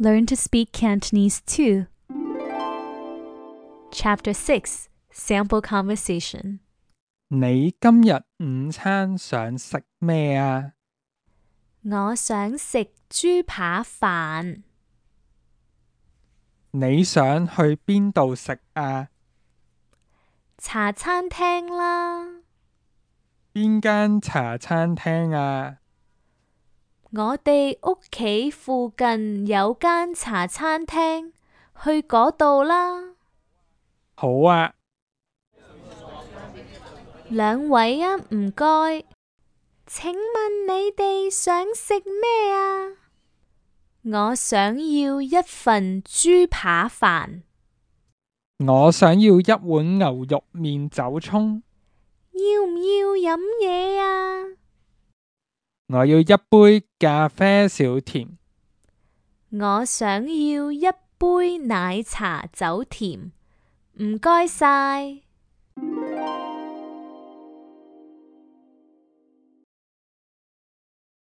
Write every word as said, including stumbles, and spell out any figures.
Learn to speak Cantonese too. Chapter six. Sample Conversation. 你今日午餐想食咩啊？我想食豬扒飯。你想去邊度食啊？茶餐廳啦。邊間茶餐廳啊？我哋屋企附近有間茶餐廳，去嗰度啦。好啊。兩位啊，唔該。請問你哋想食咩啊？我想要一份豬扒飯。我想要一碗牛肉麵走蔥。要唔要飲嘢啊？我要一杯咖啡少甜。我想要一杯奶茶走甜，唔該晒。